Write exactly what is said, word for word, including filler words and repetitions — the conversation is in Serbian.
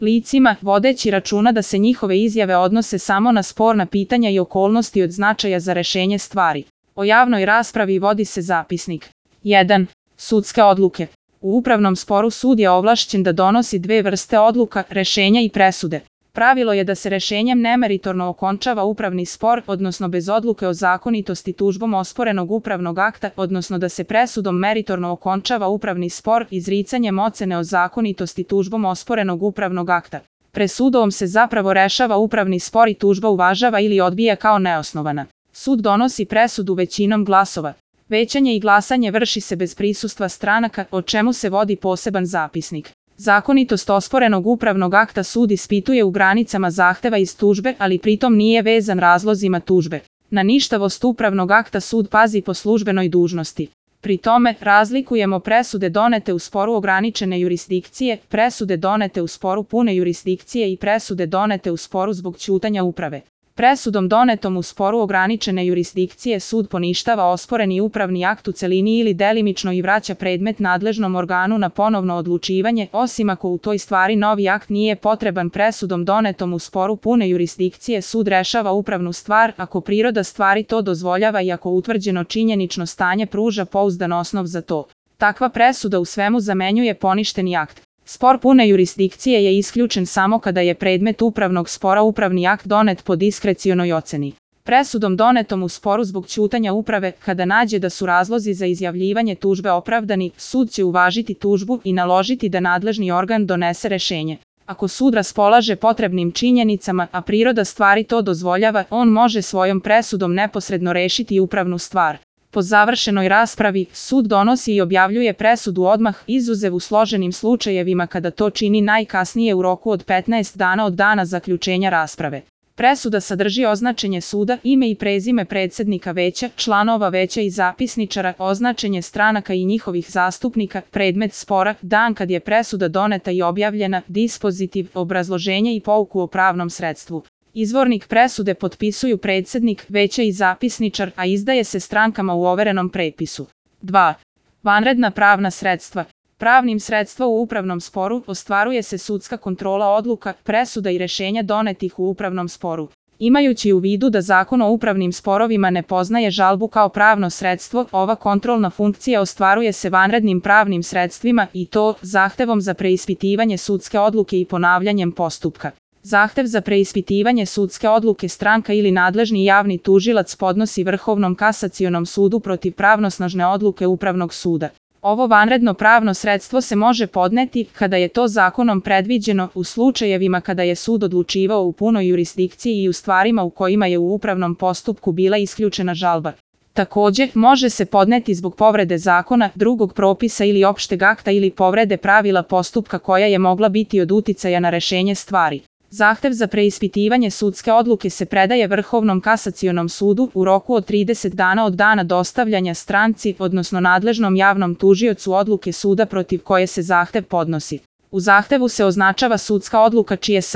licima, vodeći računa da se njihove izjave odnose samo na sporna pitanja i okolnosti od značaja za rešenje stvari. O javnoj raspravi vodi se zapisnik. jedan. Sudske odluke. U upravnom sporu sud je ovlašćen da donosi dve vrste odluka, rešenja i presude. Pravilo je da se rešenjem nemeritorno okončava upravni spor, odnosno bez odluke o zakonitosti tužbom osporenog upravnog akta, odnosno da se presudom meritorno okončava upravni spor izricanjem ocene o zakonitosti tužbom osporenog upravnog akta. Presudom se zapravo rešava upravni spor i tužba uvažava ili odbija kao neosnovana. Sud donosi presudu većinom glasova. Većanje i glasanje vrši se bez prisustva stranaka, o čemu se vodi poseban zapisnik. Zakonitost osporenog upravnog akta sud ispituje u granicama zahteva iz tužbe, ali pritom nije vezan razlozima tužbe. Na ništavost upravnog akta sud pazi po službenoj dužnosti. Pri tome, razlikujemo presude donete u sporu ograničene jurisdikcije, presude donete u sporu pune jurisdikcije i presude donete u sporu zbog ćutanja uprave. Presudom donetom u sporu ograničene jurisdikcije sud poništava osporeni upravni akt u celini ili delimično i vraća predmet nadležnom organu na ponovno odlučivanje, osim ako u toj stvari novi akt nije potreban. Presudom donetom u sporu pune jurisdikcije sud rešava upravnu stvar ako priroda stvari to dozvoljava i ako utvrđeno činjenično stanje pruža pouzdan osnov za to. Takva presuda u svemu zamenjuje poništeni akt. Spor pune jurisdikcije je isključen samo kada je predmet upravnog spora upravni akt donet po diskrecionoj oceni. Presudom donetom u sporu zbog ćutanja uprave, kada nađe da su razlozi za izjavljivanje tužbe opravdani, sud će uvažiti tužbu i naložiti da nadležni organ donese rešenje. Ako sud raspolaže potrebnim činjenicama, a priroda stvari to dozvoljava, on može svojom presudom neposredno rešiti upravnu stvar. Po završenoj raspravi, sud donosi i objavljuje presudu odmah, izuzev u složenim slučajevima kada to čini najkasnije u roku od petnaest dana od dana zaključenja rasprave. Presuda sadrži označenje suda, ime i prezime predsednika veća, članova veća i zapisničara, označenje stranaka i njihovih zastupnika, predmet spora, dan kad je presuda doneta i objavljena, dispozitiv, obrazloženje i pouku o pravnom sredstvu. Izvornik presude potpisuju predsednik veća i zapisničar, a izdaje se strankama u overenom prepisu. dva. Vanredna pravna sredstva. Pravnim sredstvom u upravnom sporu ostvaruje se sudska kontrola odluka, presuda i rešenja donetih u upravnom sporu. Imajući u vidu da Zakon o upravnim sporovima ne poznaje žalbu kao pravno sredstvo, ova kontrolna funkcija ostvaruje se vanrednim pravnim sredstvima i to zahtevom za preispitivanje sudske odluke i ponavljanjem postupka. Zahtev za preispitivanje sudske odluke stranka ili nadležni javni tužilac podnosi Vrhovnom kasacionom sudu protiv pravnosnažne odluke Upravnog suda. Ovo vanredno pravno sredstvo se može podneti, kada je to zakonom predviđeno, u slučajevima kada je sud odlučivao u punoj jurisdikciji i u stvarima u kojima je u upravnom postupku bila isključena žalba. Takođe, može se podneti zbog povrede zakona, drugog propisa ili opšteg akta ili povrede pravila postupka koja je mogla biti od uticaja na rešenje stvari. Zahtev za preispitivanje sudske odluke se predaje Vrhovnom kasacionom sudu u roku od trideset dana od dana dostavljanja stranci, odnosno nadležnom javnom tužiocu odluke suda protiv koje se zahtev podnosi. U zahtevu se označava sudska odluka čije s